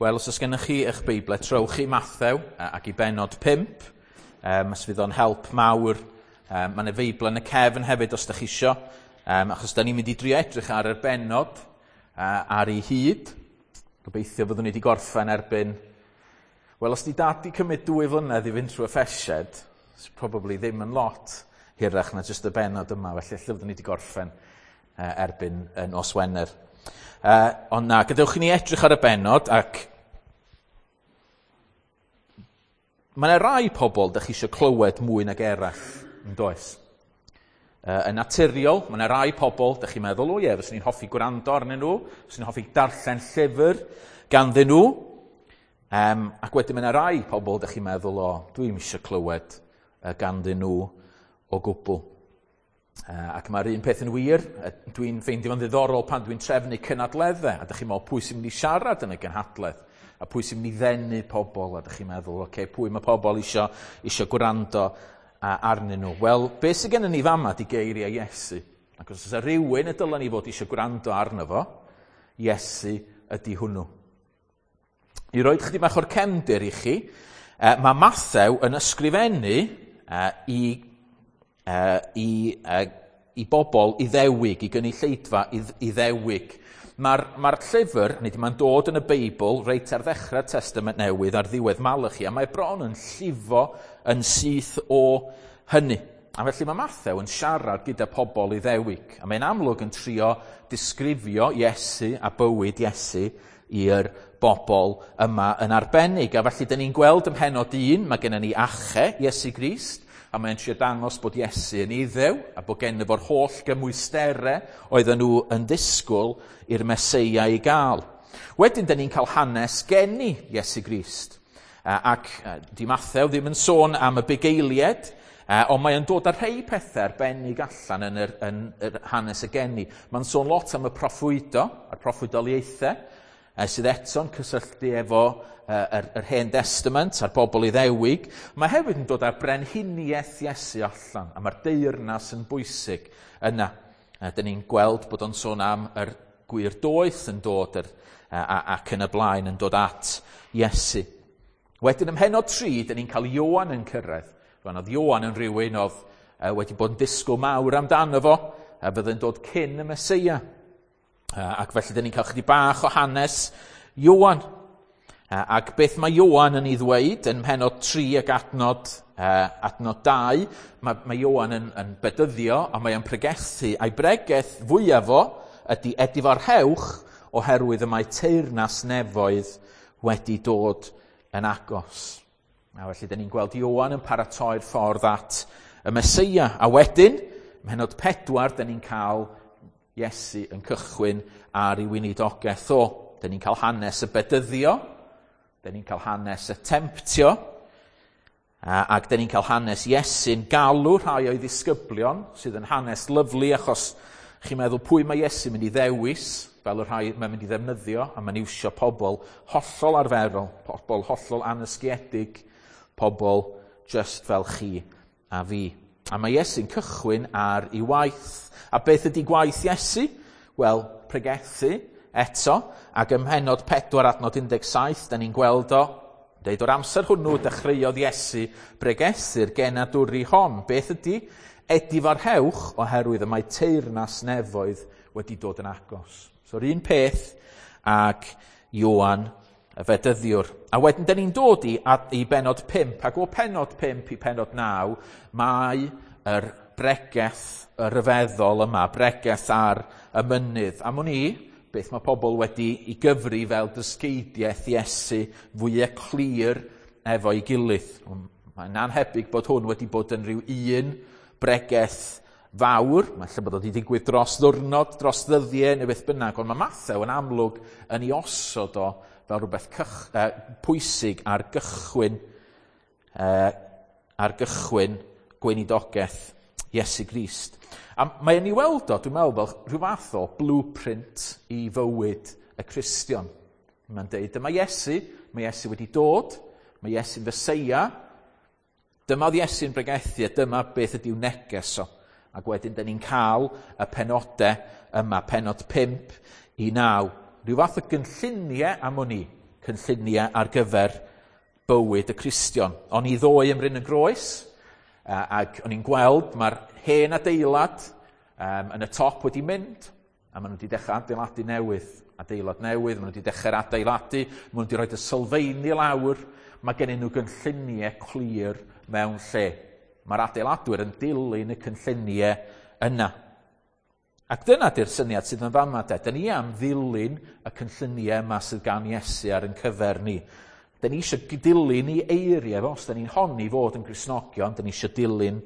Wel, os oes gennych chi eich Beiblau, trowch i Mathew ac i benod 5. Os fydd o'n help mawr. Mae yna Feibl yn y cefn hefyd os ydych chi isio. Achos da ni'n mynd i drio edrych ar yr benod ar ei hyd. Gobeithio fyddwn ni wedi gorffen erbyn... Wel, os di dad di cymryd 2 flynedd i fynd trwy Effesiaid, it's probably ddim yn lot hirach na jyst y benod yma, felly lle fyddwn ni wedi gorffen erbyn nos Wener. Ond na, gadewch i ni edrych ar y benod, ac mae yna rai pobl dych chi eisiau clywed mwy nag eraill, yn does? Yn naturiol, mae yna rai pobl dych chi'n meddwl, o ie, fyswn i'n hoffi gwrando arnyn nhw, fyswn i'n hoffi darllen llyfr ganddyn nhw. Ac wedyn mae yna rai pobl dych chi'n meddwl, o, dwi'm eisiau clywed ganddyn nhw o gwbl. Ac mae'r un peth yn wir, dwi'n ffeindio fo'n ddiddorol pan dwi'n trefnu cynadleddau, a dych chi'n meddwl pwy sy'n mynd i siarad yn y gynhadledd, a pwy sy'n mynd i ddenu pobl, a dych chi'n meddwl, oce, pwy mae pobl isio gwrando arnyn nhw. Wel, beth sydd gennym ni fama di geiriau Iesu. Ac os oes rhywun y dylen ni fod eisiau gwrando arno fo, Iesu ydy hwnnw. I roed chydig bach o'r cefndir i chi, mae Mathew yn ysgrifennu i bobl Iddewig, i gynulleidfa Iddewig. Mae'r llyfr, nid mae'n dod yn y Beibl, reit ar ddechrau'r Testament Newydd, ar ddiwedd Malachi, a mae bron yn llifo yn syth o hynny. A felly mae Mathew yn siarad gyda pobl Iddewig, a mae'n amlwg yn trio disgrifio Iesu a bywyd Iesu i'r bobl yma yn arbennig. A felly, dyn ni'n gweld ym mhennod 1, mae gennym ni ache Iesu Grist, a mae'n trio dangos bod Iesu yn Iddew, a bod gennym fo'r holl gymwysterau oedden nhw yn disgwyl i'r Meseia i gael. Wedyn, dyn ni'n cael hanes geni Iesu Grist. Ac di Mathew ddim yn sôn am y bugeiliaid, ond mae'n dod â rhai pethau arbennig allan yn yr hanes y geni. Mae'n sôn lot am y proffwydo, a'r proffwydoliaethau, sydd eto'n cysylltu efo yr Hen Testament a'r bobl Iddewig. Mae hefyd yn dod â'r brenhiniaeth Iesu allan, a mae'r deyrnas yn bwysig yna. Dyn ni'n gweld bod o'n sôn am yr gwir doeth yn dod ac yn y blaen yn dod at Iesu. Wedyn ym mhennod 3, dyn ni'n cael Ioan yn cyrraedd. Rwan oedd Ioan yn rhywun oedd wedi bod yn disgwyl mawr amdano fo, a fydde'n dod cyn y Meseia. Ac felly dyn ni'n cael chydig bach o hanes Ioan. Ac beth mae Ioan yn ei ddweud yn mhennod 3 ac adnod 2, mae Ioan yn bedyddio a mae o'n pregethu, a'i bregeth fwyaf fo ydy edifarhewch oherwydd y mae teyrnas nefoedd wedi dod yn agos. A felly dyn ni'n gweld Ioan yn paratoi'r ffordd at y Meseia. A wedyn, mhennod 4, dyn ni'n cael Iesu yn cychwyn ar ei weinidogaeth o. Dyn ni'n cael hanes y bedyddio, dyn ni'n cael hanes y temtio, ac dyn ni'n cael hanes Iesu'n galw rhai o'i ddisgyblion, sydd yn hanes lyfli, achos chi'n meddwl pwy mae Iesu'n mynd i ddewis, fel y rhai mae'n mynd i ddefnyddio, a mae'n iwsio pobl hollol arferol, pobl hollol anysgiedig, pobl just fel chi a fi. A mae Iesu'n cychwyn ar ei waith. A beth ydy gwaith Iesu? Wel, pregethu eto, ac ym mhennod 4 adnod 17, da ni'n gweld o, deud o'r amser hwnnw dechreuodd Iesu bregethu'r genadwri hon. Beth ydy? Edifarhewch oherwydd y mae teyrnas nefoedd wedi dod yn agos. So'r un peth ag Ioan y Fedyddiwr. A wedyn, dyn ni'n dod i bennod 5, ac o pennod 5 i pennod 9, mae yr bregeth y ryfeddol yma, bregeth ar y mynydd. Am wn i, beth mae pobl wedi ei gyfri fel dysgeidiaeth Iesu fwyaf clir efo'i gilydd. Mae'n anhebyg bod hwn wedi bod yn rhyw un bregeth fawr, mae lle bod o wedi digwydd dros ddwrnod, dros ddyddiau neu beth bynnag, ond mae Mathew yn amlwg yn ei osod o fel rhywbeth pwysig ar gychwyn gweinidogaeth Iesu Grist. A mae yn ei weld o, dwi'n meddwl, fel rhyw fath o blueprint i fywyd y Cristion. Mae'n deud, dyma Iesu, mae Iesu wedi dod, mae Iesu'n Feseia, dyma oedd Iesu'n bregethu a dyma beth ydy'w neges o. Ac wedyn, dyn ni'n cael y penodau yma, pennod 5 i 9. Rhyw fath o gynlluniau am wn i. cynlluniau ar gyfer bywyd y Cristion. O'n i ddoe ym Mryn y Groes, ac o'n i'n gweld mae'r hen adeilad yn y top wedi mynd, a maen nhw wedi dechrau adeiladu newydd, adeilad newydd, maen nhw wedi dechrau'r adeiladu, maen nhw wedi rhoi y sylfeini lawr, mae gennyn nhw gynlluniau clir mewn lle. Mae'r adeiladwyr yn dilyn y cynlluniau yna. Ac dyna di'r syniad sydd yn fama de. Dyn ni am ddilyn y cynlluniau yma sydd gan Iesu ar yn cyfer ni. Dyn ni eisiau dilyn ei eiriau fo. Os dyn ni'n honni fod yn Gristnogion, dyn ni eisiau dilyn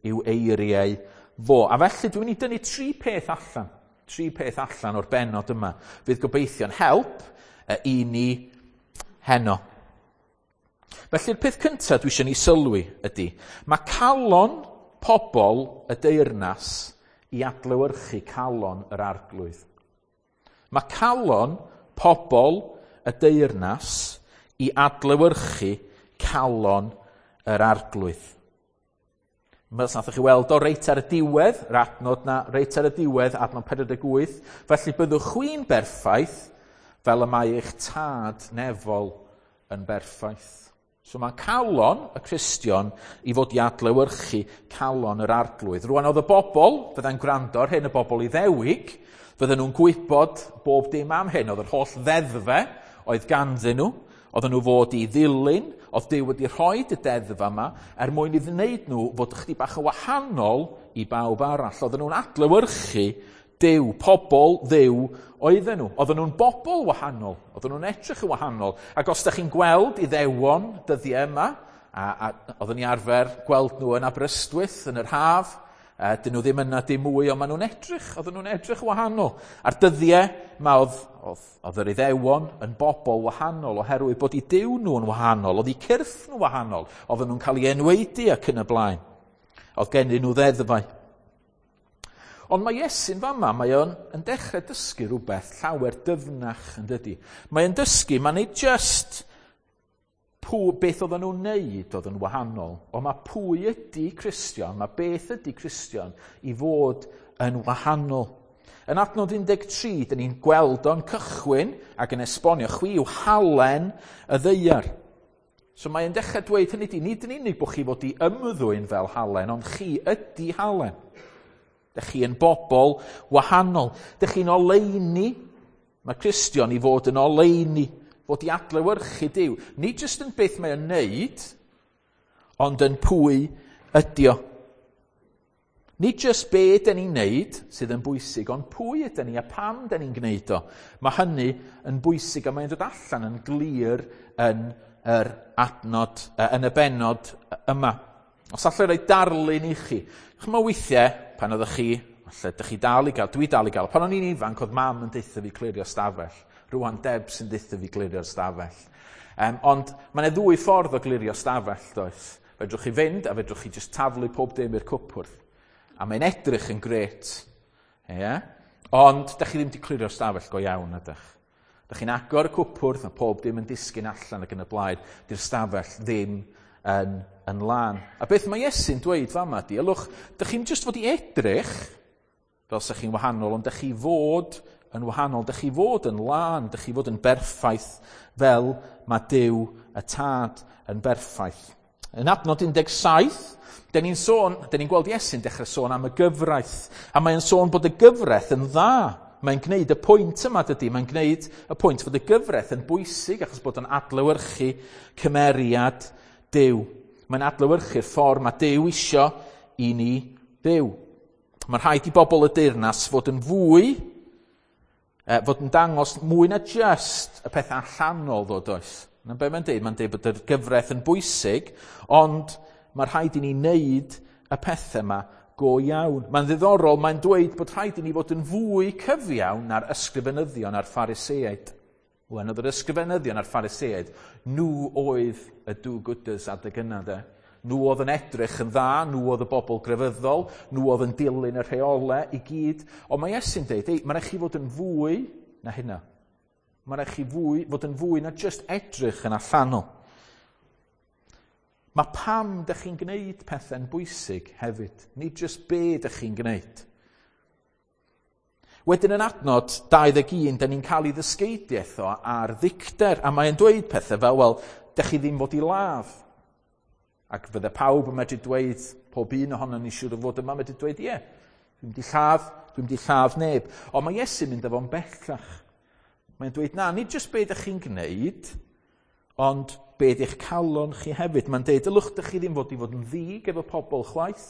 i'w eiriau fo. A felly dwi'n mynd i dynnu tri peth allan. Tri peth allan o'r bennod yma. Fydd gobeithio'n help i ni heno. Felly'r peth cyntaf dwi eisiau ni sylwi ydy, mae calon pobl y deyrnas i adlewyrchu calon yr arglwydd. Mae calon pobl y deyrnas i adlewyrchu calon yr arglwydd. Mae os nathoch chi weld o reit ar y diwedd, yr adnod na, reit ar y diwedd, adnod 48, felly byddwch chwi'n berffaith fel y mae eich tad nefol yn berffaith. So mae calon y Cristion i fod i adlewyrchu calon yr arglwydd. Rwan oedd y bobl, fyddai'n gwrando ar hyn, y bobl Iddewig, fydden nhw'n gwybod bob dim am hyn. Oedd yr holl ddeddfe oedd ganddyn nhw, oedden nhw fod i ddilyn, oedd Duw wedi rhoi y deddf yma er mwyn i wneud nhw fod ychydig bach yn wahanol i bawb arall. Oedden nhw'n adlewyrchu Duw, pobl Dduw oedden nhw. Oedden nhw'n bobl wahanol, oedden nhw'n edrych yn wahanol. Ac os da chi'n gweld Iddewon dyddiau yma, a oedden ni arfer gweld nhw yn Aberystwyth yn yr haf, dyn nhw ddim yna dim mwy, ond maen nhw'n edrych, oedden nhw'n edrych wahanol. A'r dyddiau yma oedd yr Iddewon yn bobl wahanol oherwydd bod eu Duw nhw'n wahanol, oedd eu cyrff nhw'n wahanol, oedden nhw'n cael eu enwaedu ac yn y blaen. Oedd gennyn nhw ddeddfau. Ond mae Iesu'n fama, mae o'n yn dechrau dysgu rhywbeth llawer dyfnach yn dydy. Mae o'n dysgu, mae'n nid just beth oedden nhw'n neud oedd yn wahanol, ond mae pwy ydy Cristion, mae beth ydy Cristion i fod yn wahanol. Yn adnod 13, dyn ni'n gweld o'n cychwyn ac yn esbonio, chwi yw halen y ddaear. So mae'n dechrau dweud hynny di, nid yn unig bod chi fod i ymddwyn fel halen, ond chi ydy halen. Dych chi yn bobl wahanol. Dych chi'n oleuni. Mae Cristion i fod yn oleuni, fod i adlewyrchu Duw. Nid jyst yn beth mae o'n neud, ond yn pwy ydi o. Nid jyst be dyn ni'n neud sydd yn bwysig, ond pwy ydyn ni a pam dyn ni'n gwneud o. Mae hynny yn bwysig a mae'n dod allan yn glir yn yr adnod, yn y bennod yma. Os allai roi darlun i chi. Ch'mo weithiau, pan oeddech chi, falle dych chi dal i gael, dwi dal i gael, pan o'n i'n ifanc, oedd mam yn deutha fi clirio stafell. Rwan Deb sy'n deutha fi clirio'r stafell. Ond mae yna ddwy ffordd o glirio stafell, does? Fedrwch chi fynd a fedrwch chi just taflu pob dim i'r cwpwrdd. A mae'n edrych yn grêt. Yeah? Ond dych chi ddim wedi clirio'r stafell go iawn, ydych? Dych chi'n agor y cwpwrdd a pob dim yn disgyn allan ac yn y blaen. Di'r stafell ddim yn lân. A beth mae Iesu'n dweud fama di, ylwch, dych chi'n just fod i edrych fel sa chi'n wahanol, ond dych chi fod yn wahanol, dych chi fod yn lân, dych chi fod yn berffaith fel mae Duw y Tad yn berffaith. Yn adnod 17, dyn ni'n gweld Iesu'n dechrau sôn am y gyfraith, a mae'n sôn bod y gyfraith yn dda. Mae'n gwneud y pwynt yma, dydy, mae'n gwneud y pwynt fod y gyfraith yn bwysig achos bod yn adlewyrchu cymeriad Duw. Mae'n adlewyrchu'r ffordd mae Duw isio i ni fyw. Mae'n rhaid i bobl y deyrnas fod yn fwy, fod yn dangos mwy na just y peth allanol ddod oes. Na be mae'n deud? Mae'n deud bod y gyfraith yn bwysig, ond mae rhaid i ni wneud y pethau yma go iawn. Mae'n ddiddorol, mae'n dweud bod rhaid i ni fod yn fwy cyfiawn na'r ysgrifenyddion a'r Phariseaid. Wel, oedd yr ysgrifenyddion a'r Phariseaid, nhw oedd y do-gooders adeg yna, de. Nhw oedd yn edrych yn dda, nhw oedd y bobl grefyddol, nhw oedd yn dilyn y rheolau i gyd. Ond mae Iesu'n deud, ei, mae'n rhaid chi fod yn fwy na hynna. Mae'n rhaid chi fod yn fwy na just edrych yn allanol. Mae pam dych chi'n gwneud pethau'n bwysig hefyd, nid just be dych chi'n gwneud. Wedyn yn adnod 21, da ni'n cael ei ddysgeidiaeth o ar ddicter, a mae'n dweud pethau fel, wel, dych chi ddim fod i ladd. Ac fydde pawb yn medru dweud, pob un ohono ni siŵr o fod yma medru dweud, ie, dwi'n mynd i lladd, dwi'n mynd i lladd neb. Ond mae Iesu'n mynd â fo'n bellach. Mae'n dweud, na, nid jyst be ydych chi'n gwneud, ond be ydych calon chi hefyd. Mae'n dweud, ylwch, dych chi ddim fod i fod yn ddig efo pobl chwaith.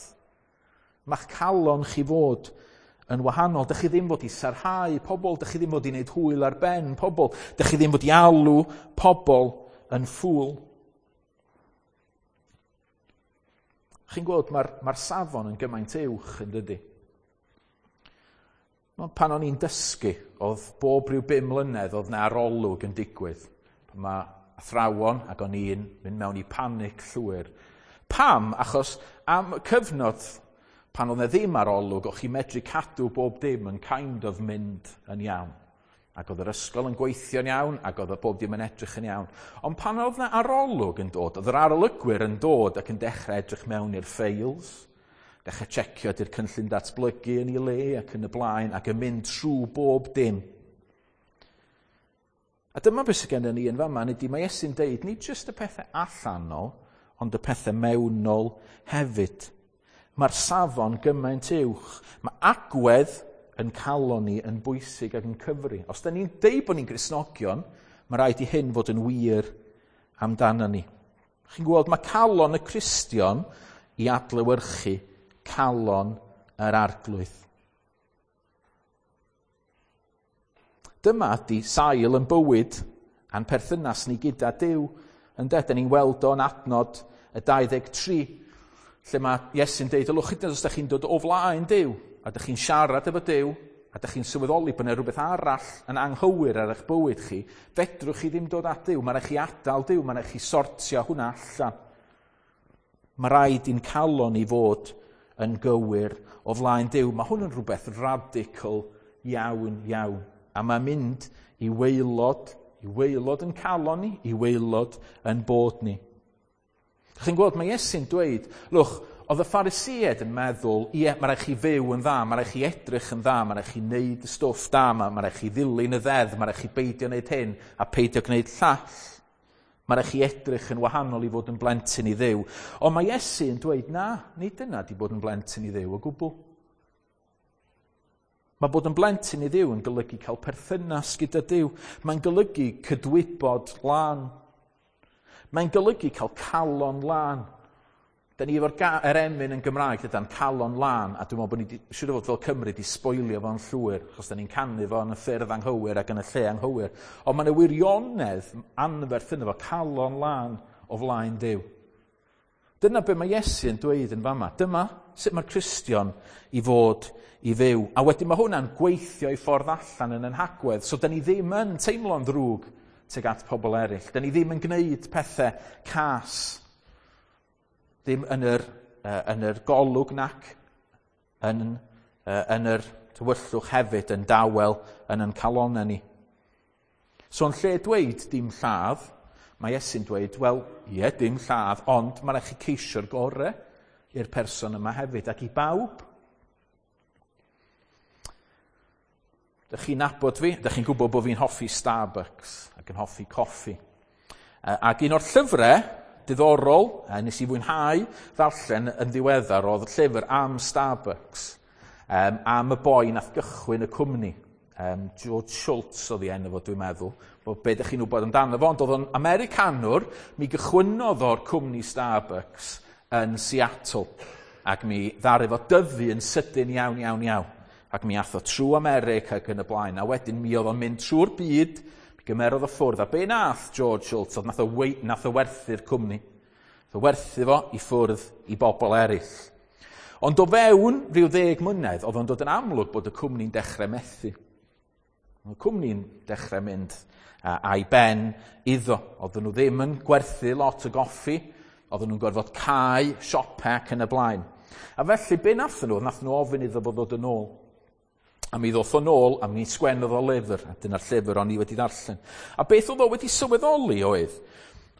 Mae'ch calon chi fod yn wahanol. Dych chi ddim fod i sarhau pobl, dych chi ddim fod i wneud hwyl ar ben pobl, dych chi ddim fod i alw pobl yn ffŵl. Chi'n gweld, mae'r mae safon yn gymaint uwch yn dydy. Pan o'n i'n dysgu, oedd bob rhyw 5 mlynedd oedd na arolwg yn digwydd. Pan mae athrawon ac o'n i'n mynd mewn i panic llwyr. Pam? Achos am cyfnod pan oedd 'na ddim arolwg, o'ch chi'n medru cadw bob dim yn kind of mynd yn iawn. Ac oedd yr ysgol yn gweithio'n iawn, ac oedd y bob dim yn edrych yn iawn. Ond pan oedd 'na arolwg yn dod, oedd yr arolygwyr yn dod ac yn dechrau edrych mewn i'r ffeils, dechrau checio ydy'r cynllun datblygu yn ei le ac yn y blaen, ac yn mynd trwy bob dim. A dyma beth sydd gennym ni yn fama, nid mae Iesu'n deud, nid jyst y pethau allanol, ond y pethau mewnol hefyd. Mae'r safon gymaint uwch. Mae agwedd yn calon ni yn bwysig ac yn cyfri. Os da ni'n deud bod ni'n Gristnogion, mae rhaid i hyn fod yn wir amdano ni. Chi'n gweld, mae calon y Cristion i adlewyrchu calon yr Arglwydd. Dyma ydy sail yn bywyd a'n perthynas ni gyda Duw. Ynde, da ni'n weld o'n adnod y 23, lle mae Iesu'n deud, ylwch hyd yn oed os ydych chi'n dod o flaen Duw, a ydych chi'n siarad efo Duw, a ydych chi'n sylweddoli bod yna rhywbeth arall yn anghywir ar eich bywyd chi, fedrwch chi ddim dod at Duw, mae'n rhaid chi adael Duw, mae'n rhaid chi sortio hwnna allan. Mae rhaid i'n calon i fod yn gywir o flaen Duw. Mae hwn yn rhywbeth radical iawn, iawn. A mae'n mynd i waelod yn calon ni, i waelod yn bod ni. Chi'n gweld, mae Iesu'n dweud, lwch, oedd y Phariseaid yn meddwl, ie, mae rhaid chi fyw yn dda, mae rhaid chi edrych yn dda, mae rhaid chi wneud y stwff da, mae rhaid chi ddilyn y ddeddf, mae rhaid chi beidio wneud hyn a peidio gwneud llall. Mae rhaid chi edrych yn wahanol i fod yn blentyn i Dduw. Ond mae Iesu yn dweud, na, nid dyna di bod yn blentyn i Dduw o gwbl. Mae bod yn blentyn i Dduw yn golygu cael perthynas gyda Duw. Mae'n golygu cydwybod lân. Mae'n golygu cael calon lân. Da ni efo'r yr emyn yn Gymraeg, dydan, calon lân, a dwi'n meddwl bod ni, siŵr o fod fel Cymru, di sboilio fo'n llwyr, achos da ni'n canu fo yn y ffyrdd anghywir ac yn y lle anghywir. Ond mae'n y wirionedd anferth yno fo, calon lân o flaen Duw. Dyna be mae Iesu yn dweud yn fama. Dyma sut mae'r Cristion i fod i fyw. A wedyn mae hwnna'n gweithio i ffordd allan yn ein hagwedd, so da ni ddim yn teimlo'n ddrwg tuag at pobl eraill. Da ni ddim yn gwneud pethau cas, ddim yn yr golwg nac yn yr tywyllwch hefyd, yn dawel yn ein calonnau ni. So yn lle dweud dim lladd, mae Iesu'n dweud, wel, ie, dim lladd, ond mae'n rhaid chi ceisio'r gorau i'r person yma hefyd ac i bawb. Dych chi'n nabod fi, dych chi'n gwybod bod fi'n hoffi Starbucks ac yn hoffi coffi. Ac un o'r llyfrau diddorol, nes i fwynhau ddarllen yn ddiweddar, oedd llyfr am Starbucks, am y boi nath gychwyn y cwmni. George Shultz oedd ei enw fo, dwi'n meddwl, bod be ydych chi'n wybod amdano fo, ond oedd o'n Americanwr, mi gychwynnodd o'r cwmni Starbucks yn Seattle, ac mi ddaru fo dyfu yn sydyn iawn, iawn, iawn. Ac mi ath o trwy America ac yn y blaen, a wedyn mi oedd o'n mynd trwy'r byd, mi gymerodd o ffwrdd, a be nath George Shultz oedd nath o werthu'r cwmni. Nath o werthu fo i ffwrdd i bobl eraill. Ond o fewn rhyw 10 mlynedd, oedd o'n dod yn amlwg bod y cwmni'n dechrau methu. Oedd y cwmni'n dechrau mynd a'i ben iddo. Oedden nhw ddim yn gwerthu lot o goffi, oedden nhw'n gorfod cau siopau ac yn y blaen. A felly, be nathon nhw? Nathon nhw ofyn iddo fo ddod yn ôl. A mi ddoth o nôl, a mi sgwennodd o lyfr, a dyna'r llyfr o'n i wedi darllen. A beth oedd o wedi sylweddoli oedd,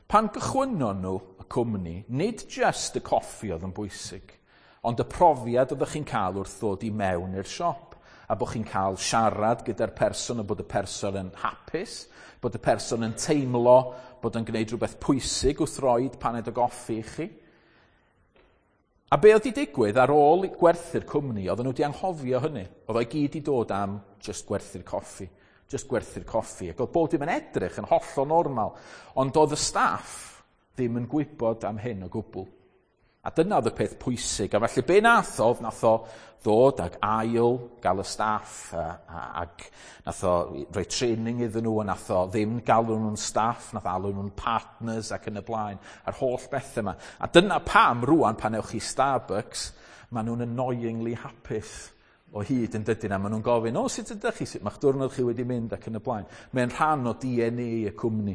pan gychwynnon nhw y cwmni, nid just y coffi oedd yn bwysig, ond y profiad oeddech chi'n cael wrth ddod i mewn i'r siop. a bod chi'n cael siarad gyda'r person a bod y person yn hapus, bod y person yn teimlo bod yn gwneud rhywbeth pwysig wrth roed paned o goffi i chi. A be oedd 'di digwydd ar ôl gwerthu'r cwmni, oedden nhw wedi anghofio hynny. Oedd o'i gyd i dod am just gwerthu'r coffi. Just gwerthu'r coffi. Ac oedd bob dim yn edrych yn hollol normal. Ond oedd y staff ddim yn gwybod am hyn o gwbl. A dyna oedd y peth pwysig. A felly be nath o, nath o ddod ag ail gael y staff ac nath o rhoi training iddyn nhw a nath o ddim galw nhw'n staff, nath alw nhw'n partners ac yn y blaen, a'r holl bethau yma. A dyna pam rwan pan ewch chi Starbucks, maen nhw'n annoyingly hapus o hyd yn dydyn, a maen nhw'n gofyn, o, sut ydych chi, sut mae'ch diwrnod chi wedi mynd ac yn y blaen. Mae'n rhan o DNA y cwmni.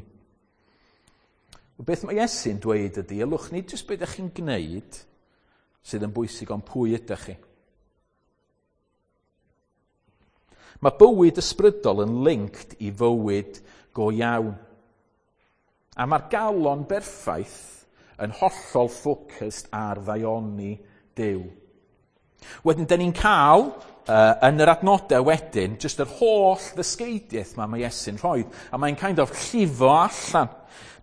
Beth mae Iesu'n dweud ydy, ylwch nid jyst beth ydych chi'n gwneud sydd yn bwysig, ond pwy ydych chi. Mae bywyd ysbrydol yn linked i fywyd go iawn. A mae'r galon berffaith yn hollol focused ar ddaioni Duw. Wedyn, dyn ni'n cael, yn yr adnodau wedyn, jyst yr holl ddysgeidiaeth ma mae Iesu'n rhoi, a mae'n kind of llifo allan.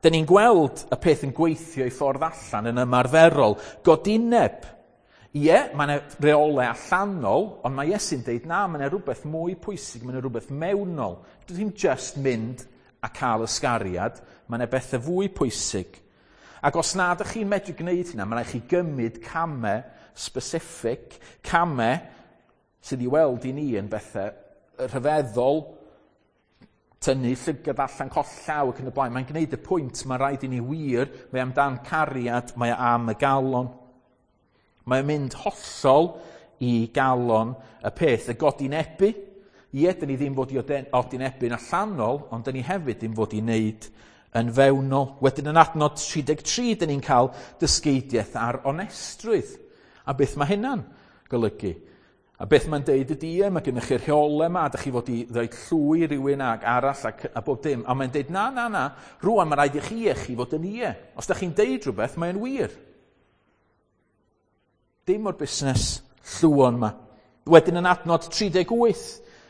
Dyn ni'n gweld y peth yn gweithio i ffordd allan yn ymarferol. Godineb. Ie, mae yna reolau allanol, ond mae Iesu'n deud na, mae yna rhywbeth mwy pwysig, mae yna rhywbeth mewnol. Dwi ddim just mynd a cael ysgariad, mae yna bethau fwy pwysig. Ac os na ydych chi'n medru gwneud hynna, mae rhaid chi gymryd camau specific, camau sydd i weld i ni yn bethau rhyfeddol, tynnu llygad allan, colli llaw ac yn y blaen. Mae'n gwneud y pwynt, mae rhaid i ni wir, mae amdan cariad, mae am y galon. Mae'n mynd hollol i galon y peth, y godinebu. Ie, dyn ni ddim fod i odinebu'n allanol, ond dyn ni hefyd ddim fod i wneud yn fewnol. Wedyn yn adnod 33, dyn ni'n cael dysgeidiaeth ar onestrwydd. A beth mae hynna'n golygu? A beth mae'n deud ydy, ie, mae gennych chi'r rheolau yma, a dych chi fod i ddweud llwy rhywun ag arall ac, a bob dim. A mae'n deud, na, na, na, rwan mae rhaid i chi e, chi fod yn ie. Os dych chi'n deud rhywbeth, mae'n wir. Dim o'r busnes llwon yma. Wedyn yn adnod 38,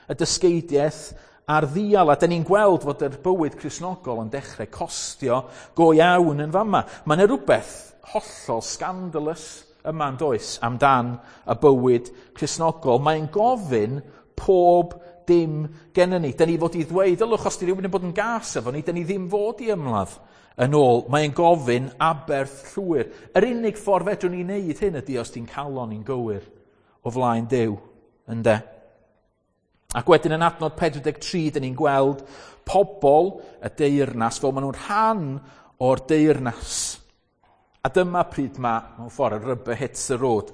y dysgeidiaeth a'r ddial, a dyn ni'n gweld fod yr bywyd Cristnogol yn dechrau costio go iawn yn fama. Mae yna rhywbeth hollol scandalous yma yn does amdan y bywyd Cristnogol. Mae'n gofyn pob dim gennym ni. Dyn ni fod i ddweud, ylwch, os di rhywun yn bod yn gas efo ni, dyn ni ddim fod i ymladd yn ôl. Mae'n gofyn aberth llwyr. Yr unig ffordd fedrwn ni wneud hyn ydy os ti'n calon ni'n gywir o flaen Duw, ynde? Ac wedyn yn adnod 43, dyn ni'n gweld pobl y deyrnas fel maen nhw'n rhan o'r deyrnas. A dyma pryd mae, mewn ffordd, y rubber hits the road.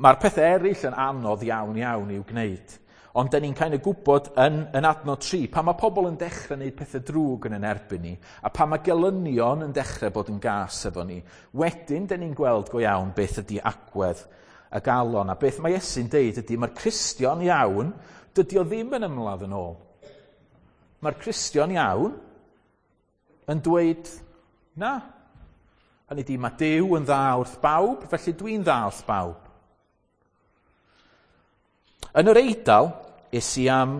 Mae'r pethau eraill yn anodd iawn iawn i'w gwneud. Ond dyn ni'n kind of gwybod yn adnod 3, pan mae pobl yn dechrau gwneud pethau drwg yn yn erbyn ni, a pan mae gelynion yn dechrau bod yn gas efo ni, wedyn dyn ni'n gweld go iawn beth ydy agwedd y galon. A beth mae Iesu'n deud ydy, mae'r Cristion iawn, dydy o ddim yn ymladd yn ôl. Mae'r Cristion iawn yn dweud, na. Hynny ydy, mae Duw yn dda wrth bawb, felly dwi'n dda wrth bawb. Yn yr Eidal, es i am,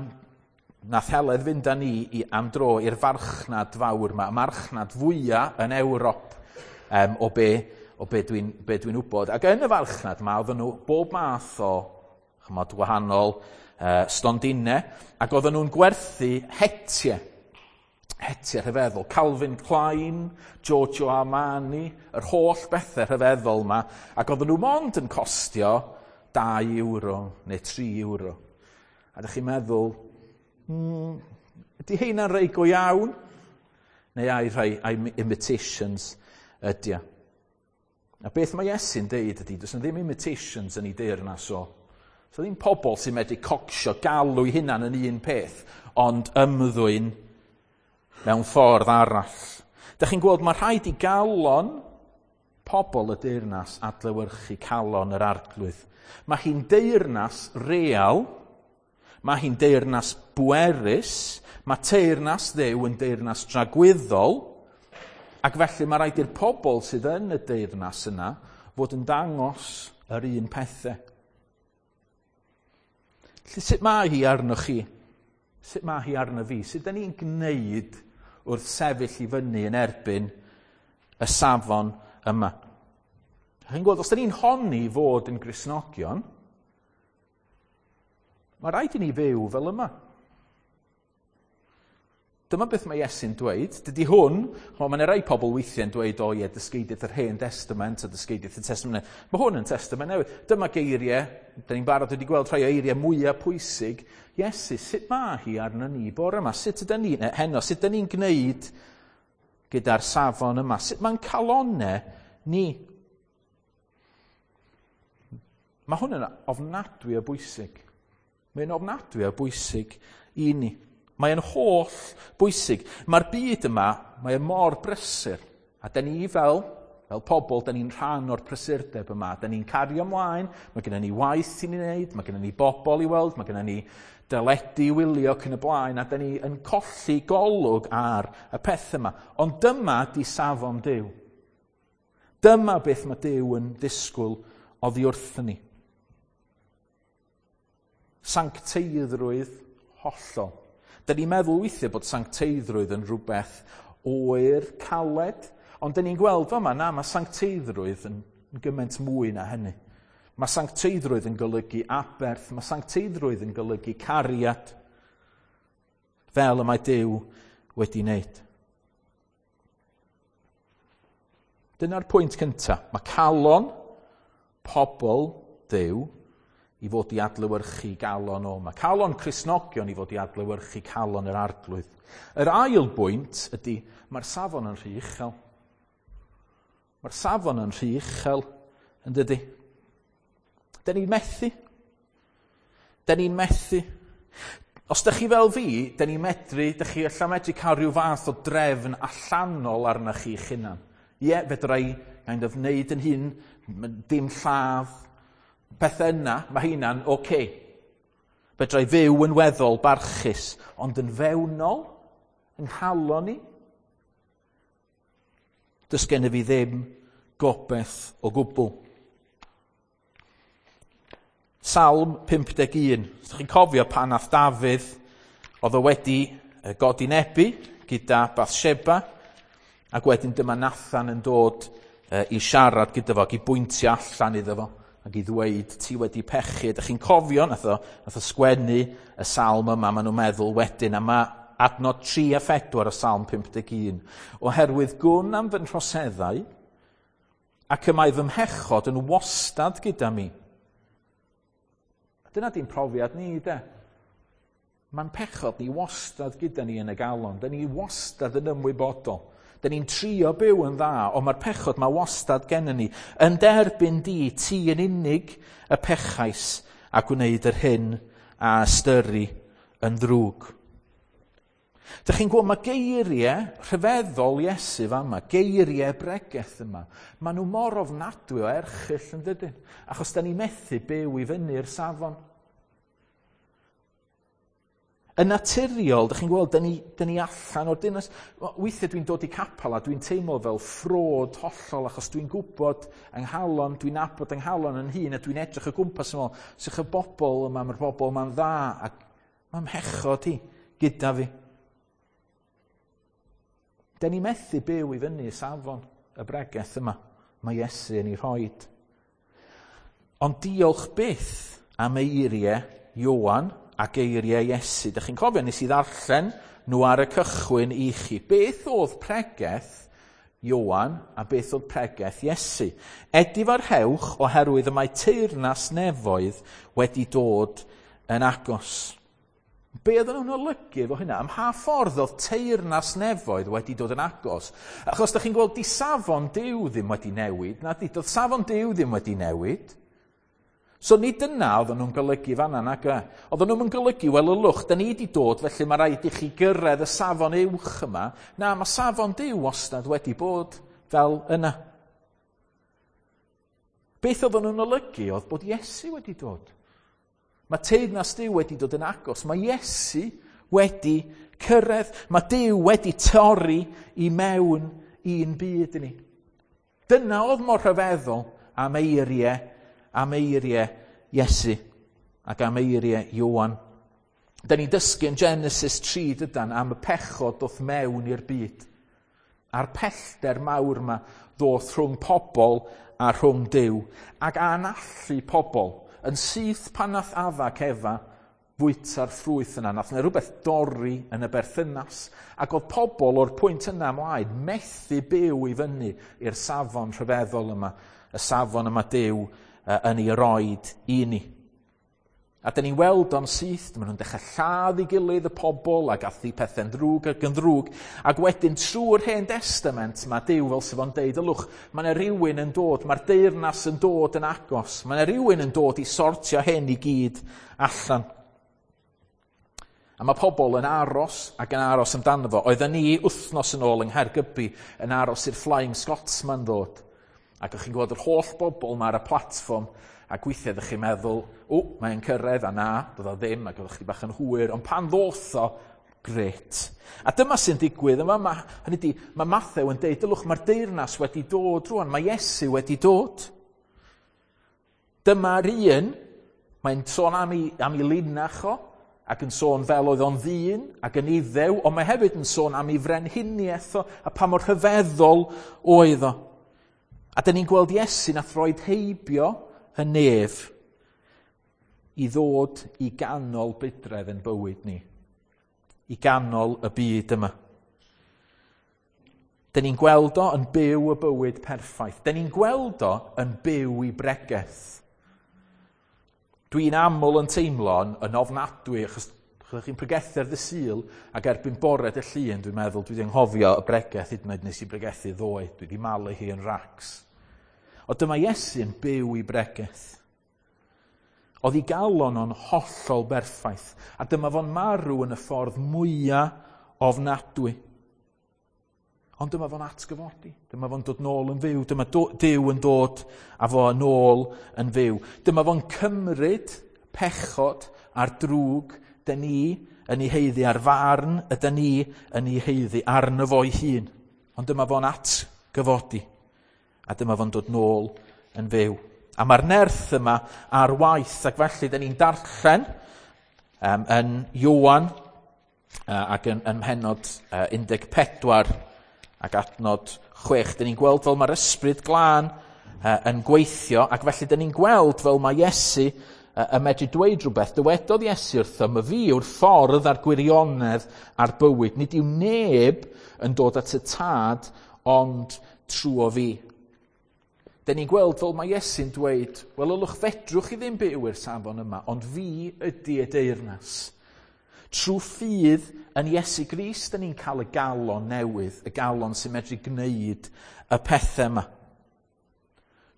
nath Heledd fynd â ni i, am dro i'r farchnad fawr yma, y marchnad fwyaf yn Ewrop o be dwi'n wybod. Ac yn y farchnad yma, oedden nhw bob math o chymod, wahanol stondinau, ac oedden nhw'n gwerthu hetiau. Hetiau rhyfeddol. Calvin Klein, Giorgio Armani, yr holl bethau rhyfeddol yma, ac oedden nhw mond yn costio 2 euro neu 3 euro. A ydych chi'n meddwl, ydy heina'n rhai go iawn? Neu ai rhai imitations ydy o? A beth mae Iesu'n deud ydy, does 'na ddim imitations yn ei deyrnas o. So ddim pobl sy'n medru cocsio, galw eu hunan yn un peth, ond ymddwyn mewn ffordd arall. Dych chi'n gweld, mae rhaid i galon pobl y deyrnas adlewyrchu calon yr arglwydd. Mae hi'n deyrnas real, mae hi'n deyrnas bwerus, mae teyrnas Dduw yn deyrnas dragwyddol, ac felly mae rhaid i'r pobl sydd yn y deyrnas yna fod yn dangos yr un pethau. Felly sut mae hi arnoch chi? Sut mae hi arno fi? Sut da ni'n gwneud wrth sefyll i fyny yn erbyn y safon yma? Chi'n gweld, os da ni'n honni fod yn Gristnogion, mae rhaid i ni fyw fel yma. Dyma beth mae Iesu'n dweud. Dydy hwn, ch'mo', mae 'na rai pobl weithiau'n dweud, o ie, dysgeidiaeth yr Hen Destament a dysgeidiaeth y Testament Newydd. Mae hwn yn Testament Newydd. Dyma geiriau, da ni'n barod wedi gweld rhai o eiriau mwyaf pwysig Iesu. Sut mae hi arno ni bore yma? Sut ydyn ni, neu heno, sut ydyn ni'n gwneud gyda'r safon yma? Sut mae'n calonau ni? Mae hwn yn ofnadwy o bwysig. Mae'n ofnadwy o bwysig i ni. Mae'n holl bwysig. Mae'r byd yma, mae e mor brysur. A da ni fel pobl, da ni'n rhan o'r prysurdeb yma. Da ni'n cario ymlaen, mae gennym ni waith i ni wneud, mae gennym ni bobl i weld, mae gennym ni deledu i wylio ac yn y blaen, a da ni yn colli golwg ar y peth yma. Ond dyma di safon Duw. Dyma beth mae Duw yn ddisgwyl oddi wrthyn ni. Sancteiddrwydd hollol. Da ni'n meddwl weithiau bod sancteiddrwydd yn rhywbeth oer, caled, ond da ni'n gweld fama, na, mae sancteiddrwydd yn gymaint mwy na hynny. Mae sancteiddrwydd yn golygu aberth, mae sancteiddrwydd yn golygu cariad, fel y mae Duw wedi wneud. Dyna'r pwynt cyntaf. Mae calon pobl Duw i fod i adlewyrchu galon o. Mae calon Cristnogion i fod i adlewyrchu calon yr Arglwydd. Yr ail bwynt ydy, mae'r safon yn rhy uchel. Mae'r safon yn rhy uchel, yn dydy. Da ni'n methu. Da ni'n methu. Os da chi fel fi, da ni'n medru, da chi allan medru cael rhyw fath o drefn allanol arna chi eich hunan. Ie, fedra i kind of wneud yn hun, dim lladd, pethau yna, mae hynna'n oce. Okay. Fedra i fyw yn weddol barchus, ond yn fewnol, yng nghalon i, does gennyf fi ddim gobaith o gwbl. Salm 51. Os chi'n cofio pan nath Dafydd, oedd o wedi godinebu gyda Bathsheba, ac wedyn dyma Nathan yn dod i siarad gyda fo, ac i bwyntio allan iddo fo, ac i ddweud, ti wedi pechu. Ydych chi'n cofio, nath o sgwennu y salm yma, maen nhw'n meddwl wedyn, a mae adnod 3 a 4 o Salm 51. Oherwydd gwn am fy nhroseddau, ac y mae fy mhechod yn wastad gyda mi. Dyna di'n profiad ni, de. Mae'n pechod ni wastad gyda ni yn y galon. Da ni wastad yn ymwybodol. Da ni'n trio byw yn dda, ond mae'r pechod mae wastad gennym ni. Yn derbyn di, ti yn unig y pechais a gwneud yr hyn a ystyru yn ddrwg. Dych chi'n gweld, mae geiriau rhyfeddol Iesu fama, geiriau bregeth yma, maen nhw mor ofnadwy o erchyll yn dydyn, achos da ni methu byw i fyny'r safon. Yn naturiol, dych chi'n gweld, da ni allan o'r dinas. Weithiau dwi'n dod i capel a dwi'n teimlo fel ffrod hollol achos dwi'n gwybod yng nghalon, dwi'n nabod yng nghalon yn hun a dwi'n edrych o gwmpas yn ôl, sych y bobl yma, mae'r bobl yma'n dda ac mae'n mhechod i gyda fi. Da ni methu byw i fyny y safon y bregeth yma. Mae Iesu yn ei rhoid. Ond diolch byth am eiriau Ioan a geiriau Iesu. Dych chi'n cofio, nes i ddarllen nhw ar y cychwyn i chi. Beth oedd pregeth Ioan a beth oedd pregeth Iesu? Edifarhewch oherwydd y mae teyrnas nefoedd wedi dod yn agos. Be oedden nhw'n olygu efo hynna? Ym mha ffordd oedd teyrnas nefoedd wedi dod yn agos? Achos da chi'n gweld, di safon Duw ddim wedi newid, na di, doedd safon Duw ddim wedi newid. So nid dyna oedden nhw'n golygu fanna, nag e? Oedden nhw'n golygu, wel ylwch, da ni wedi dod, felly mae rhaid i chi gyrraedd y safon uwch yma. Na, mae safon Duw wastad wedi bod fel yna. Beth oedden nhw'n olygu oedd bod Iesu wedi dod. Mae teyrnas Duw wedi dod yn agos. Mae Iesu wedi cyrraedd. Mae Duw wedi torri i mewn i'n byd i ni. Dyna oedd mor rhyfeddol am eiriau Iesu. Ac am eiriau Ioan. Da ni'n dysgu yn Genesis 3 dydan am y pechod ddoth mewn i'r byd. A'r pellter mawr yma ddoth rhwng pobl a rhwng Duw. Ac anallu pobl yn syth pan nath Adda ac Efa fwyta'r ffrwyth yna. Nath yna rhywbeth dorri yn y berthynas. Ac oedd pobl o'r pwynt yna ymlaen methu byw i fyny i'r safon rhyfeddol yma. Y safon yma Duw yn ei roed i ni. A dyn ni'n weld o'n syth, maen nhw'n dechrau lladd i gilydd y pobl ac athu pethau'n ddrwg ac yn ddrwg. Ac wedyn trwy'r Hen Testament mae Duw fel sydd o'n deud, ylwch, mae yna rhywun yn dod, mae'r deyrnas yn dod yn agos, mae yna rhywun yn dod i sortio hyn i gyd allan. A mae pobl yn aros ac yn aros amdano fo. Oedden ni wythnos yn ôl yng Nghaergybi yn aros i'r Flying Scotsman ddod. Ac o'ch chi'n gweld yr holl bobl yma ar y platfform ac weithiau ydych chi'n meddwl, o, mae'n cyrraedd, a na, doedd o ddim, ac oeddech chi bach yn hwyr, ond pan ddoth o, gret. A dyma sy'n digwydd yma, ma, hynny di, mae Mathew yn deud, dylwch, mae'r deyrnas wedi dod rwan, mae Iesu wedi dod. Dyma'r un, mae'n sôn am ei, am ei linach o, ac yn sôn fel oedd o'n ddyn ac yn iddew, ond mae hefyd yn sôn am ei frenhiniaeth o, a pa mor rhyfeddol oedd o. A dyn ni'n gweld Iesu nath roed heibio y nef i ddod i ganol budredd yn bywyd ni. I ganol y byd yma. Dyn ni'n gweld o yn byw y bywyd perffaith. Dyn ni'n gweld o yn byw i bregeth. Dwi'n aml yn teimlo yn, yn ofnadwy, achos chi'n pregethu ar dy Sul, ac erbyn bore dy llun, dwi'n meddwl, dwi wedi anghofio y bregeth hyd yn oed nes i bregethu ddoe. Dwi wedi malu hi yn racs. O dyma Iesu yn byw i bregeth. Oedd ei galon o'n hollol berffaith, a dyma fo'n marw yn y ffordd mwyaf ofnadwy. Ond dyma fo'n atgyfodi. Dyma fo'n dod nôl yn fyw. Dyma Duw yn dod a fo yn ôl yn fyw. Dyma fo'n cymryd pechod a'r drwg dyn ni yn ei heiddi a'r farn ydyn ni yn ei heiddi arno fo'i hun. Ond dyma fo'n atgyfodi. A dyma fo'n dod nôl yn fyw. A mae'r nerth yma ar waith, ac felly dyn ni'n darllen um, yn Ioan ac yn, yn mhenod 14 ac adnod 6. Dyn ni'n gweld fel mae'r ysbryd glân yn gweithio, ac felly dyn ni'n gweld fel mae Iesu yn medru dweud rhywbeth. Dywedodd Iesu wrtho, mae fi yw'r ffordd a'r gwirionedd a'r bywyd. Nid yw neb yn dod at y tad ond trwy fi. Dyn ni'n gweld fel mae Iesu'n dweud, wel, ylwch fedrwch chi ddim byw i'r safon yma, ond fi ydy y deyrnas. Trwy ffydd yn Iesu Grist, dyn ni'n cael y galon newydd, y galon sy'n medru gwneud y pethau yma.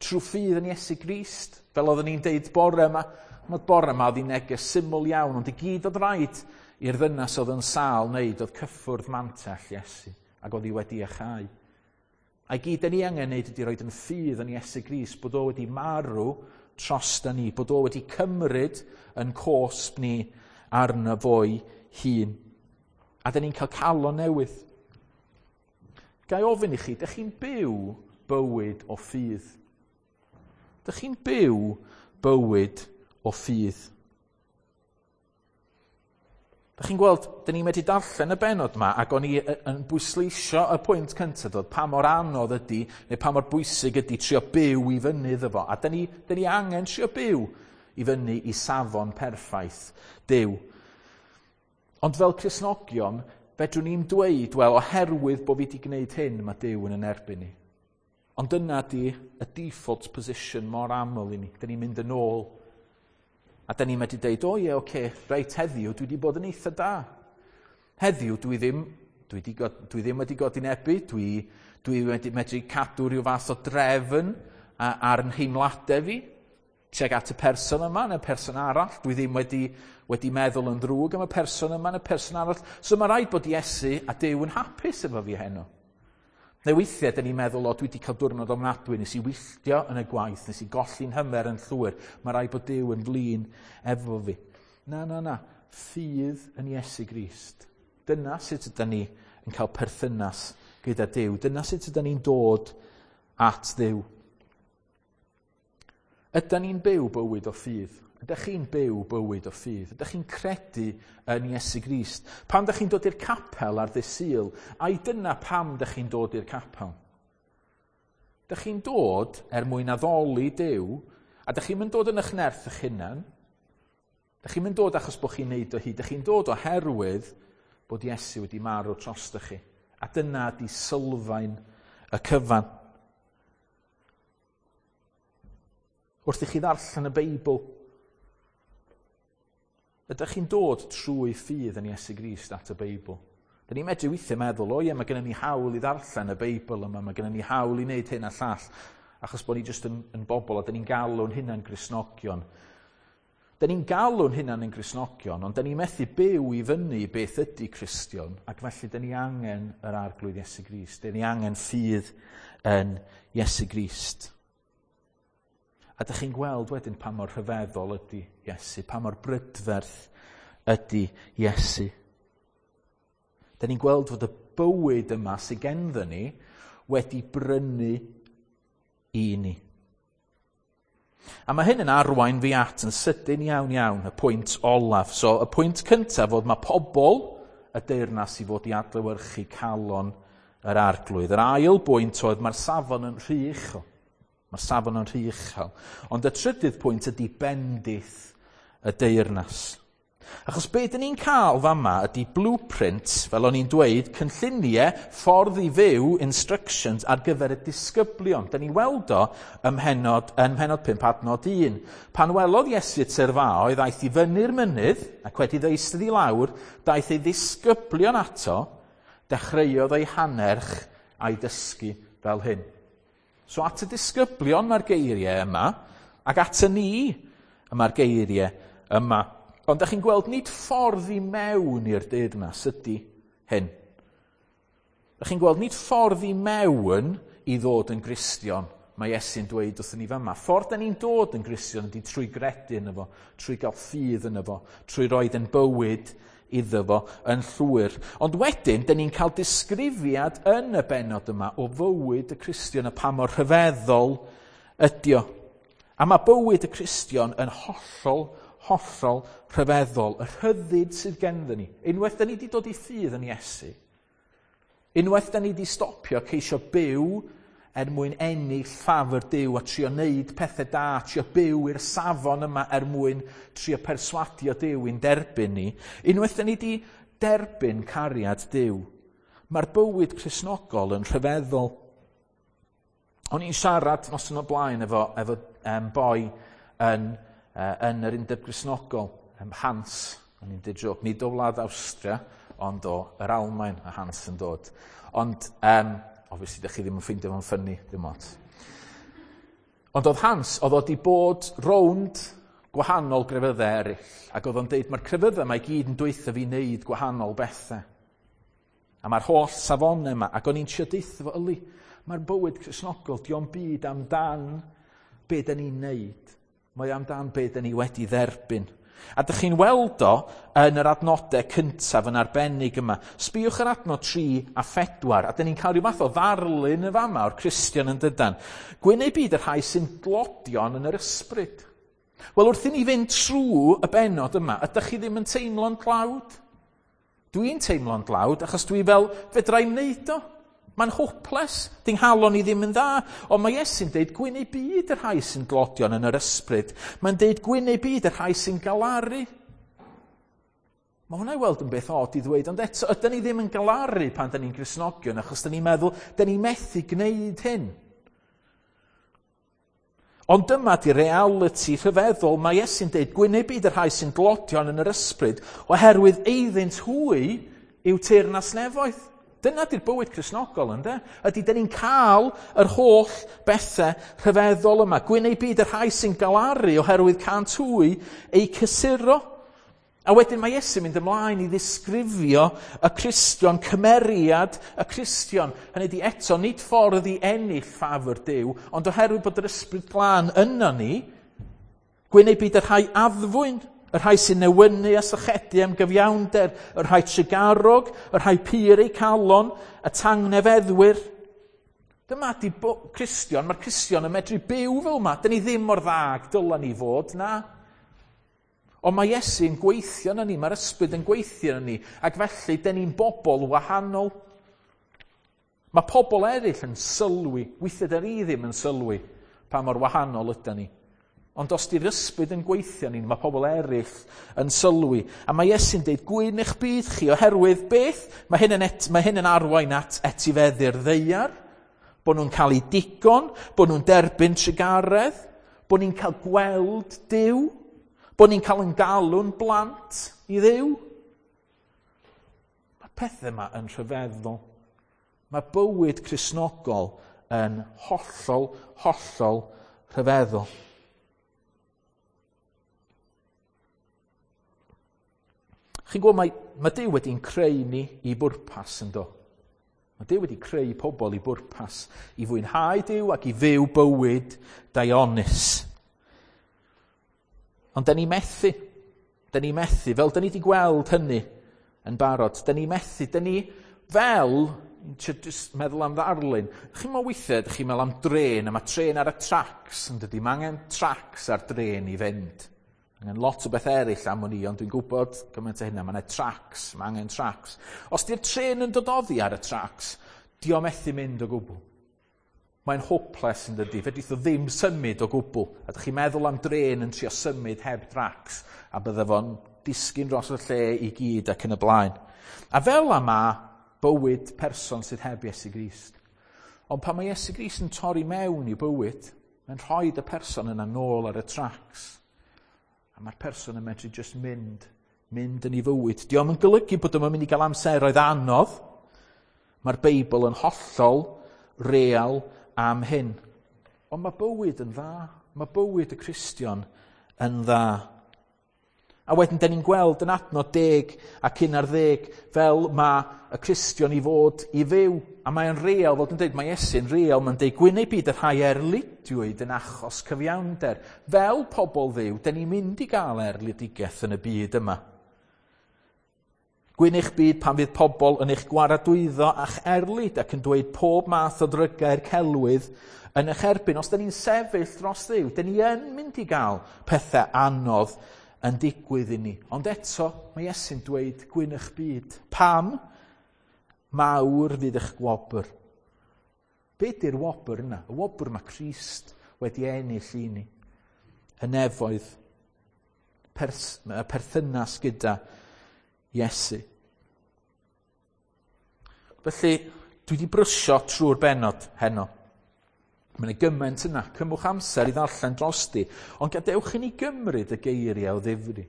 Trwy ffydd yn Iesu Grist, fel oeddwn ni'n deud bore yma, ond bore yma oedd hi'n neges syml iawn, ond i gyd oedd rhaid i'r ddynas oedd yn sâl wneud oedd cyffwrdd mantell Iesu, ac oedd hi wedi achau. A i gyd ni angen wneud ydy roed yn ffydd yn Iesu Grist, bod o wedi marw dros da ni, bod o wedi cymryd yn cosb ni arno fo'i hun. A dyn ni'n cael calon newydd. Ga i ofyn i chi, dych chi'n byw bywyd o ffydd? Dych chi'n byw bywyd o ffydd? Dych chi'n gweld, dyn ni'n medru darllen y benod yma, ac o'n i yn bwysleisio y pwynt cyntaf dod, pa mor anodd ydy, neu pa mor bwysig ydy trio byw i fyny iddo fo. A dyn ni, dyn ni angen trio byw i fyny i safon perffaith Duw. Ond fel Cristnogion, fedrwn ni'n dweud, wel, oherwydd bod fi wedi gwneud hyn, mae Duw yn yn erbyn ni. Ond dyna di y default position mor aml i ni. Dyn ni'n mynd yn ôl. A dyn ni'n medru deud, o ie, oce, reit heddiw, dwi wedi bod yn eitha da. Heddiw, dwi ddim, dwi, di, dwi ddim wedi godinebu, dwi, dwi wedi medru cadw rhyw fath o drefn ar yn nheimladau fi, tuag at y person yma neu'r person arall. Dwi ddim wedi, wedi meddwl yn ddrwg am y person yma neu'r person arall. So mae rhaid bod Iesu a Duw yn hapus efo fi heno. Neu weithiau, dyn ni'n meddwl, o, dwi wedi cael diwrnod ofnadwy, nes i wylltio yn y gwaith, nes i golli'n hymer yn llwyr, mae rhaid bod Duw yn flin efo fi. Na, na, na. Ffydd yn Iesu Grist. Dyna sut ydyn ni yn cael perthynas gyda Duw. Dyna sut ydyn ni'n dod at Dduw. Ydy ni'n byw bywyd o ffydd? Ydych chi'n byw bywyd o ffydd? Ydych chi'n credu yn Iesu Grist? Pan ydych chi'n dod i'r capel ar ddydd Sul, ai dyna pam ydych chi'n dod i'r capel? Ydych chi'n dod er mwyn addoli Duw, a ydych chi'n mynd dod yn eich nerth eich hunan? Ydych chi'n mynd dod achos bod chi'n neud o hyd? Ydych chi'n dod oherwydd bod Iesu wedi marw drostoch chi? A dyna ydi sylfaen y cyfan. Wrth i chi ddarllen y Beibl, ydych chi'n dod trwy ffydd yn Iesu Grist at y Beibl? Dyn ni'n medru weithiau meddwl, o ie, mae gennym ni hawl i ddarllen y Beibl yma, mae gennym ni hawl i wneud hyn a llall, achos bod ni jyst yn bobl a dyn ni'n galw'n hunan Gristnogion. Dyn ni'n galw'n hunan yn Gristnogion, ond dyn ni'n methu byw i fyny beth ydy Cristion, ac felly dyn ni angen yr Arglwydd Iesu Grist. Dyn ni angen ffydd yn Iesu Grist. A dych chi'n gweld wedyn pa mor rhyfeddol ydy Iesu, pa mor brydferth ydy Iesu. Dyn ni'n gweld fod y bywyd yma sydd genddo ni wedi brynu i ni. A mae hyn yn arwain fi at yn sydyn iawn iawn y pwynt olaf. So y pwynt cyntaf fod mae pobl y deyrnas i fod i adlewyrchu calon yr Arglwydd. Yr ail bwynt oedd mae'r safon yn rhy uchel. Mae'r safon yn rhy uchel. Ond y trydydd pwynt ydy bendith y deyrnas. Achos be dyn ni'n cael fama ydy blueprint, fel o'n i'n dweud, cynlluniau, ffordd i fyw, instructions ar gyfer y disgyblion. Dyn ni'n weld o ym mhennod 5 adnod 1. Pan welodd Iesu y tyrfaoedd, aeth i fyny'r mynydd, ac wedi iddo eistedd i lawr, daeth ei ddisgyblion ato, dechreuodd ei hannerch a'i dysgu fel hyn. So at y disgyblion mae'r geiriau yma, ac at y ni mae'r geiriau yma. Ond ydych chi'n gweld nid ffordd i mewn i'r deyrnas ydy hyn. Ydych chi'n gweld nid ffordd i mewn i ddod yn Gristion, mae Iesu'n dweud wrthyn ni fama. Ffordd da ni'n dod yn Gristion ydy trwy gredu yno fo, trwy gael ffydd yno fo, trwy roed yn bywyd iddo fo yn llwyr. Ond wedyn, da ni'n cael disgrifiad yn y bennod yma o fywyd y Cristion a pa mor rhyfeddol ydy o. A mae bywyd y Cristion yn hollol, hollol rhyfeddol. Y rhyddid sydd genddo ni. Unwaith da ni wedi dod i ffydd yn Iesu, unwaith da ni wedi stopio ceisio byw er mwyn ennill ffafr Duw a trio wneud pethau da, trio byw i'r safon yma er mwyn trio perswadio Duw i'n derbyn ni. Unwaith da ni wedi derbyn cariad Duw, mae'r bywyd Cristnogol yn rhyfeddol. O'n i'n siarad noson o blaen efo boi yn yr Undeb Gristnogol, Hans, o'n i'n dweud joc, nid o wlad Awstria, ond o yr Almaen, a Hans yn dod. Ond, obviously, dych chi ddim yn ffeindio fo'n ffynnu, ddim ots. Ond oedd Hans, oedd o wedi bod rownd gwahanol grefyddau eraill, ac oedd o'n deud, mae'r crefyddau yma i gyd yn dweutha fi wneud gwahanol bethau. A mae'r holl safonau yma, ac o'n i'n trio deutha fo, yli, mae'r bywyd Cristnogol, dio'm byd amdan be da ni'n neud. Mae amdan be da ni wedi dderbyn. A dych chi'n weld o yn yr adnodau cyntaf yn arbennig yma. Sbïwch ar adnod 3 a 4, a dyn ni'n cael rhyw fath o ddarlun y fama o'r Cristion yn dydan. Gwyn eu byd y rhai sy'n dlodion yn yr ysbryd. Wel, wrth i ni fynd trwy y bennod yma, ydych chi ddim yn teimlo'n dlawd? Dwi'n teimlo'n dlawd achos dwi fel, fedra i'm wneud o. Mae'n hopeless, di'n nghalon i ddim yn dda. Ond mae Iesu'n deud gwyn eu byd y rhai sy'n dlodion yn yr ysbryd. Mae'n deud gwyn eu byd y rhai sy'n galaru. Mae hwnna i weld yn beth od i ddweud, ond eto, ydyn ni ddim yn galaru pan dyn ni'n Gristnogion, achos dyn ni'n meddwl, dyn ni'n methu gwneud hyn. Ond dyma di reality rhyfeddol. Mae Iesu'n deud gwyn eu byd y rhai sy'n dlodion yn yr ysbryd, oherwydd eiddynt hwy yw teyrnas nefoedd. Dyna di'r bywyd Cristnogol, ynde? Ydy, dyn ni'n cael yr holl bethau rhyfeddol yma. Gwyn eu byd y rhai sy'n galaru oherwydd cânt hwy eu cysuro. A wedyn mae Iesu'n mynd ymlaen i ddisgrifio y Cristion, cymeriad y Cristion. Hynny ydi eto, nid ffordd i ennill ffafr Duw, ond oherwydd bod yr Ysbryd Glân yno ni, gwyn eu byd y rhai addfwyn, y rhai sy'n newynu a sychedu am gyfiawnder, y rhai trugarog, y rhai pur eu calon, y tangnefeddwyr. Dyma di Cristion, mae'r Cristion yn medru byw fel yma. Dyn ni ddim mor dda ag dyla ni fod, na. Ond mae Iesu'n gweithio yn ni, mae'r ysbryd yn gweithio yn ni, ac felly, dyn ni'n bobl wahanol. Mae pobl eraill yn sylwi, weithiau dyn ni ddim yn sylwi pa mor wahanol ydyn ni. Ond os di'r ysbryd yn gweithio ni, mae pobl eraill yn sylwi. A mae Iesu'n deud, gwyn eich byd chi, oherwydd beth? Mae hyn yn, et, mae hyn yn arwain at etifeddu'r ddaear, bod nhw'n cael eu digon, bod nhw'n derbyn trugaredd, bod ni'n cael gweld Duw, bod ni'n cael yn galw'n blant i Dduw. Mae pethau yma yn rhyfeddol. Mae bywyd Cristnogol yn hollol, hollol rhyfeddol. Chi'n gwybod, mae, mae Duw wedi'n creu ni i bwrpas yn do. Mae Duw wedi creu pobl i bwrpas, i fwynhau Duw ac i fyw bywyd daionus. Ond da ni methu. Da ni methu, fel da ni wedi gweld hynny yn barod. Da ni methu, da ni fel, just meddwl am ddarlun, chi'n meddwl weithiau, chi'n meddwl am dren, a mae tren ar y tracs, yn dydy, mae angen tracs ar dren i fynd. Angen lot o beth eraill am wn i, ond dwi'n gwybod gymaint o hynna. Mae yna tracs, mae angen tracs. Os di'r tren yn dod oddi ar y tracs, di o methu mynd o gwbl. Mae'n hopeless yn dydy, fedrith o ddim symud o gwbl. A ydych chi'n meddwl am dren yn trio symud heb dracs, a bydde fo'n disgyn dros y lle i gyd ac yn y blaen. A fel yma bywyd person sydd heb Iesu Grist. Ond pan mae Iesu Grist yn torri mewn i bywyd, mae'n rhoi y person yna nôl ar y tracs. A mae'r person yn medru just mynd, mynd yn ei fywyd. Dio'm yn golygu bod o'n mynd i gael amseroedd anodd. Mae'r Beibl yn hollol real am hyn. Ond mae bywyd yn dda. Mae bywyd y Cristion yn dda. A wedyn, da ni'n gweld yn adnod 10 ac 11 fel mae y Cristion i fod i fyw. A mae'n real, fod yn dweud, mae Iesu'n real, mae'n dweud, gwyn ei byd y rhai erlidiwyd yn achos cyfiawnder. Fel pobl Dduw, da ni'n mynd i gael erlidigaeth yn y byd yma. Gwyn eich byd pan fydd pobl yn eich gwaradwyddo a'ch erlid ac yn dweud pob math o ddrygau'r celwydd yn eich erbyn. Os da ni'n sefyll dros Dduw, da ni yn mynd i gael pethau anodd yn digwydd i ni. Ond eto, mae Iesu'n dweud gwyn eich byd. Pam? Mawr fydd eich gwobr. Be di'r wobr yna? Y wobr mae Crist wedi ennill i ni. Y nefoedd, y perthynas gyda Iesu. Felly, dwi wedi brysio trwy'r bennod heno. Mae yna gymaint yna, cymwch amser i ddarllen drosti, ond gadewch i ni gymryd y geiriau o ddifri.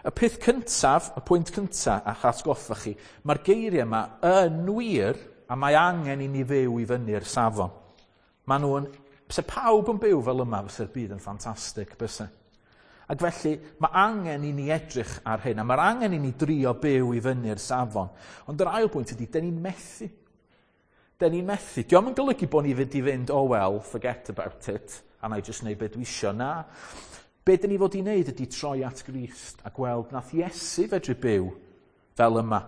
Y peth cyntaf, y pwynt cyntaf, a'ch atgoffa chi, mae'r geiriau yma yn wir, a mae angen i ni fyw i fyny'r safon. Mae nhw'n, se pawb yn byw fel yma, fysa'r byd yn ffantastig, byse. Ac felly, mae angen i ni edrych ar hyn, a mae'r angen i ni drio byw i fyny'r safon. Ond yr ail bwynt ydy, dyn ni'n methu. Dyn ni'n methu. Dio'm yn golygu bod ni fynd i fynd, oh well, forget about it, a na i just neud beth dwi isio. Na. Be dyn ni fod i wneud ydy troi at Grist a gweld nath Iesu fedru byw fel yma.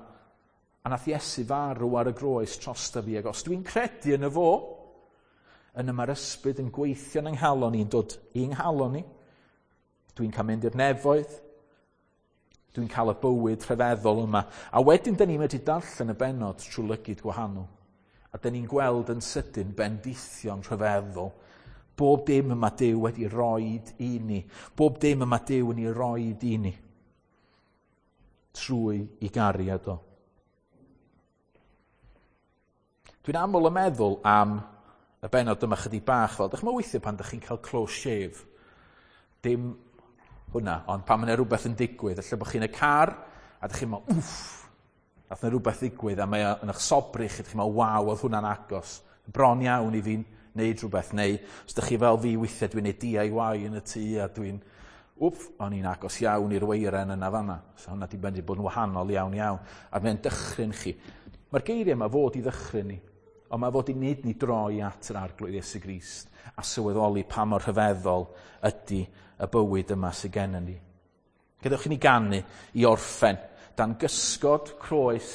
A nath Iesu farw ar y groes trosta fi. Ac os dwi'n credu yn y fo, yna mae'r ysbryd yn gweithio yn yng nghalon i'n dod i'n nghalon i. Dwi'n cael mynd i'r nefoedd. Dwi'n cael y bywyd rhyfeddol yma. A wedyn, dyn ni'n medru darllen y bennod trwy lygid gwahanol. A dyn ni'n gweld yn sydyn bendithion rhyfeddol. Bob dim yma Duw wedi roed i ni. Bob dim yma Duw yn ei roed i ni. Trwy i gariad o. Dwi'n aml yn meddwl am y bennod yma chydig bach fel, dych chi'n weithio pan dych chi'n cael close shave. Dim hwnna, ond pan mae yna rhywbeth yn digwydd, lle bod chi'n y car, a dych chi'n meddwl, wff, nath yna rhywbeth ddigwydd, a mae yn eich sobri chi, dych chi'n meddwl, waw, oedd hwnna'n agos. Bron iawn i fi'n neud rhywbeth, neu os dych chi fel fi weithiau, dwi'n neud DIY yn y tŷ, a dwi'n, wff, o'n i'n agos iawn i'r weiren yna fanna. So hwnna di bendu bod yn wahanol iawn iawn. A mae'n dychryn chi. Mae'r geiriau yma fod i ddychryn ni, ond mae fod i wneud ni droi at yr Arglwydd Iesu Grist a sylweddoli pa mor rhyfeddol ydy y bywyd yma sydd gennym ni. Gadewch i ni ganu i orffen dan gysgod croes